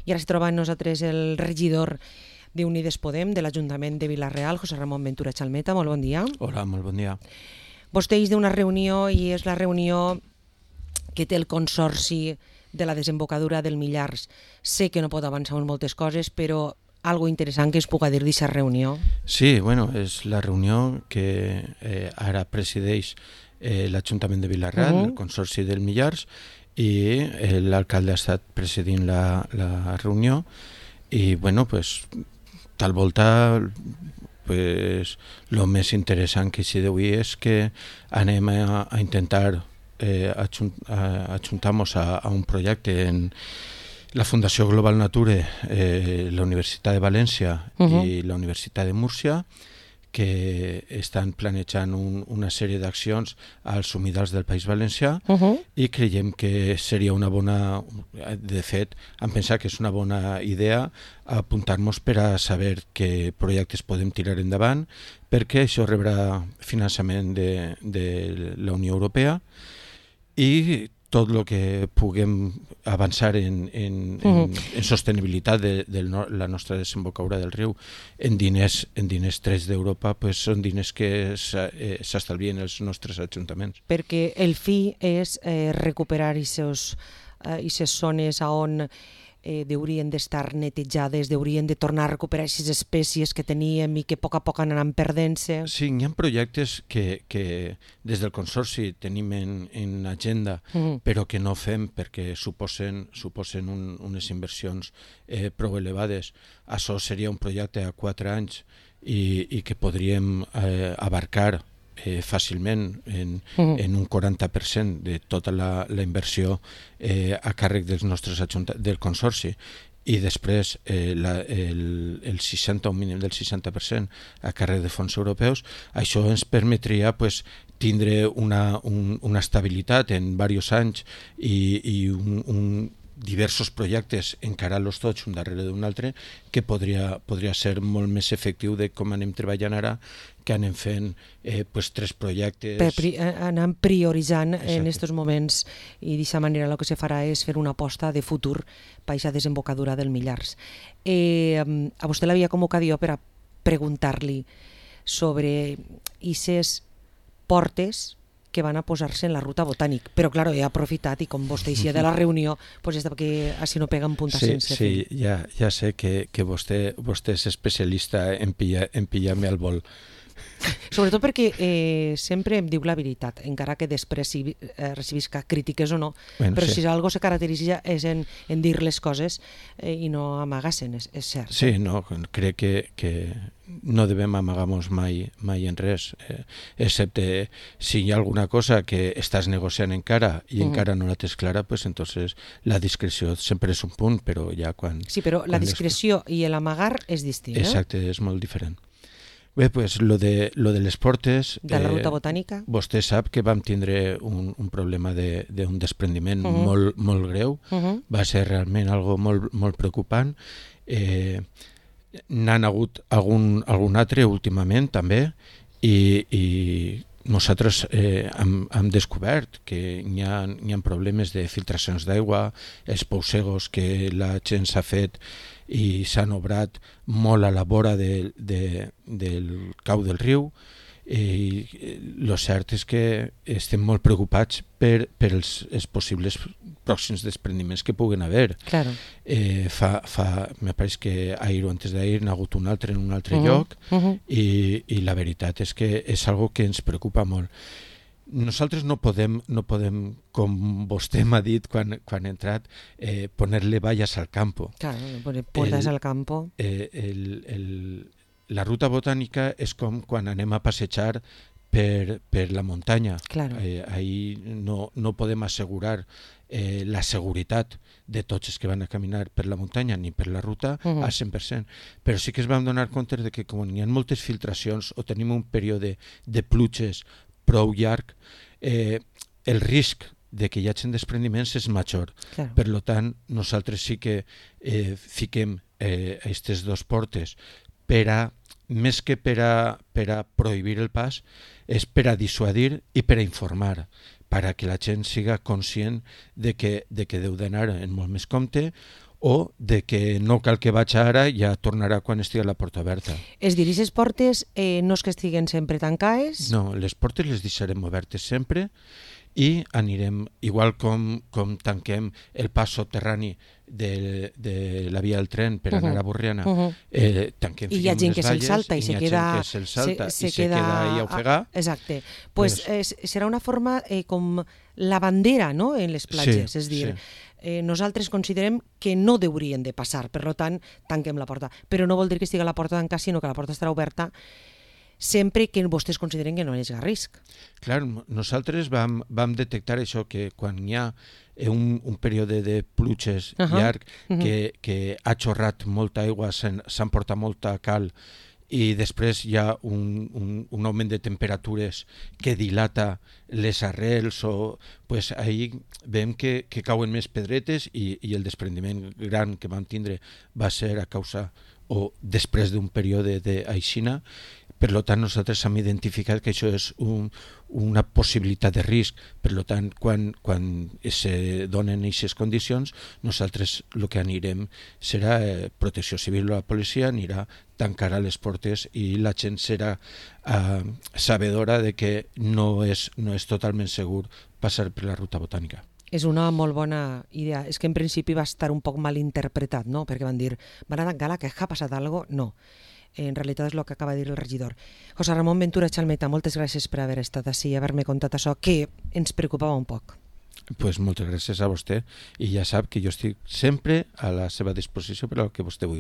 I ara es troba amb nosaltres el regidor d'Unides Podem de l'Ajuntament de Vila-real, José Ramon Ventura Chalmeta. Molt bon dia. Hola, molt bon dia. Vostè és d'una reunió i és la reunió que té el Consorci de la desembocadura del Millars. Sé que no pot avançar en moltes coses, però algo interessant que es puga dir d'aquesta reunió. Sí, bueno, és la reunió que ara presideix l'Ajuntament de Vila-real, el Consorci del Millars, i l'alcalde ha estat presidint la reunió i, bueno, pues, tal volta, pues, lo més interessant que s'hi d'avui és que anem a intentar ajuntar-nos a un projecte en la Fundació Global Nature, la Universitat de València i la Universitat de Múrcia, que estan planejant una sèrie d'accions als humidals del País Valencià i creiem que seria una bona, de fet, hem pensat que és una bona idea apuntar-nos per a saber què projectes podem tirar endavant, perquè això rebrà finançament de la Unió Europea i tot el que puguem avançar en sostenibilitat de la nostra desembocadura del riu en diners trets d'Europa, pues són diners que s'estalvien els nostres ajuntaments. Perquè el fi és recuperar aquestes zones on haurien d'estar netejades, haurien de tornar a recuperar aquestes espècies que teníem i que a poc anaran perdent-se. Sí, hi ha projectes que des del Consorci tenim en agenda, però que no fem perquè suposen unes inversions prou elevades. Això seria un projecte a 4 anys i que podríem abarcar fàcilment en un 40% de tota la inversió a càrrec dels nostres del Consorci i després el 60, un mínim del 60% a càrrec de fons europeus. Això ens permetria tindre una estabilitat en diversos anys i diversos projectes, encarar-los tots un darrere d'un altre, que podria ser molt més efectiu de com anem treballant ara, que anem fent 3 projectes. Anem prioritzant en aquests moments i d'aquesta manera el que se farà és fer una aposta de futur per aquesta desembocadura del Millars. A vostè l'havia convocat jo per a preguntar-li sobre aquestes portes que van a posar-se en la ruta botànic. Però, clar, he aprofitat i com vostè eixia de la reunió, és que així no pega en punta sense fi. Sí, ja sé que vostè és especialista en pillar-me al vol. Sobretot perquè sempre em diu la veritat, encara que després recibisca crítiques o no, però si algo se caracteritza és en dir les coses i no amagar-se'n, és cert. Sí, no, crec que no devem amagar-nos mai en res, excepte si hi ha alguna cosa que estàs negociant encara i encara no la tens clara, pues entonces la discreció sempre és un punt, però ja quan... Sí, però la discreció i l'amagar és distint, eh? Exacte, és molt diferent. Bé, pues lo de les portes... De la ruta botànica? Vostè sap que vam tindre un problema d'un desprendiment molt greu. Va ser realment algo molt preocupant. N'han hagut algun altre últimament també i nosaltres hem descobert que hi ha problemes de filtracions d'aigua, els pousegos que la gent s'ha fet i s'han obrat molt a la vora del cau del riu i el cert és que estem molt preocupats per els possibles pròxims desprendiments que puguen haver. Claro. Me pareix que ahir o antes d'ahir n'ha hagut un altre en un altre lloc i la veritat és que és algo que ens preocupa molt. Nosaltres no podem, com vostè m'ha dit quan ha entrat, ponerle vallas al campo. Claro, poner puertas al campo. La ruta botànica és com quan anem a passejar per la muntanya. Claro. Ahí no podem assegurar la seguretat de tots els que van a caminar per la muntanya ni per la ruta al 100%. Però sí que es vam donar compte de que com hi ha moltes filtracions o tenim un període de pluges prou llarg, el risc de que hi hagi desprendiments és major. Claro. Per tant, nosaltres sí que fiquem aquestes 2 portes més que per a prohibir el pas, és per a dissuadir i per a informar, per a que la gent siga conscient de que deu d'anar en molt més compte o de que no cal que vaig ara, ja tornarà quan estigui la porta oberta. És dir, aquestes portes no és que estiguen sempre tancades? No, les portes les deixarem obertes sempre i anirem, igual com tanquem el pas subterrani de la via del tren per anar a Borriana, tanquem, i hi ha gent que se'l salta i se queda ahí a ofegar. Exacte. Pues serà una forma com la bandera, no?, en les platges, és dir, nosaltres considerem que no haurien de passar, per tant, tanquem la porta. Però no vol dir que estigui la porta tancada, sinó que la porta estarà oberta sempre que vostès consideren que no és a risc. Clar, nosaltres vam detectar això, que quan hi ha un període de pluges llarg, que ha xorrat molta aigua, s'han portat molta cal, i després hi ha un augment de temperatures que dilata les arrels, pues ahí veiem que cauen més pedretes i el desprendiment gran que vam tindre va ser a causa o després d'un període d'aixina. Per tant, nosaltres hem identificat que això és una possibilitat de risc. Per tant, quan se donen aquestes condicions, nosaltres el que anirem serà Protecció Civil o la policia anirà, tancarà les portes i la gent serà sabedora de que no és totalment segur passar per la ruta botànica. És una molt bona idea. És que en principi va estar un poc mal interpretat, no? Perquè van dir, van a tancar la que ha passat alguna cosa? No. En realitat és el que acaba de dir el regidor. José Ramon Ventura Chalmeta, moltes gràcies per haver estat així i haver-me contat això, que ens preocupava un poc. Pues moltes gràcies a vostè i ja sap que jo estic sempre a la seva disposició per al que vostè vulgui.